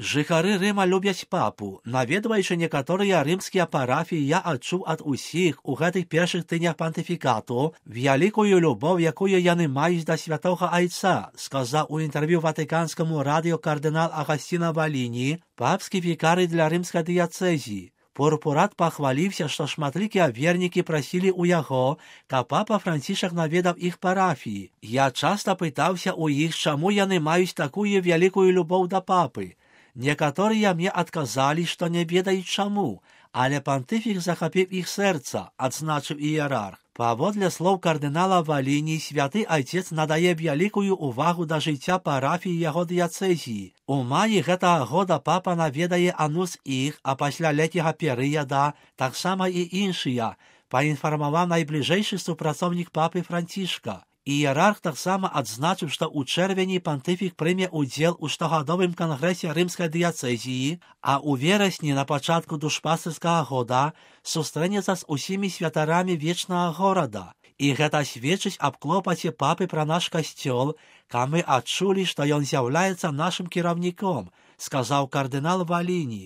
Жыхары Рыма любяць папу. Наведваючы некаторыя рымскія парафіі, я адчуў ад усіх у гэтых першых тыднях пантыфікату вялікую любоў, якую яны маюць да святога айца, сказаў у інтэрв'ю ватыканскаму радыё кардынал Агасціна Валіні, папскі вікарый для рымскай дыяцэзіі. Пурпурат пахваліўся, што шматлікія вернікі прасілі ў яго, каб папа Францішак наведаў іх парафіі. Я часта пытаўся ў іх, чаму яны маюць такую вялікую любоў да папы. Некаторыя мне адказалі, што не ведаюць чаму, але пантыфік захапіў іх сэрца, адзначыў іерарх. Паводле слоў кардынала Валіні, святы айцец надае вялікую увагу да жыцця парафіі яго дыяцэзіі. У маі гэтага года папа наведае анус іх, а пасля летняга перыяда таксама і іншыя, паінфармаваў найбліжэйшы супрацоўнік папы Францішка. Іерарх таксама адзначыў, што ў чэрвені пантыфік прыме ўдзел у штогадовым кангрэсе рымскай дыяцэзіі, а ў верасні на пачатку душпастырскага года сустрэнецца з усімі святарамі вечнага горада. І гэта сведчыць аб клопаце папы пра наш касцёл, каб мы адчулі, што ён з'яўляецца нашым кіраўніком, сказаў кардынал Валіні.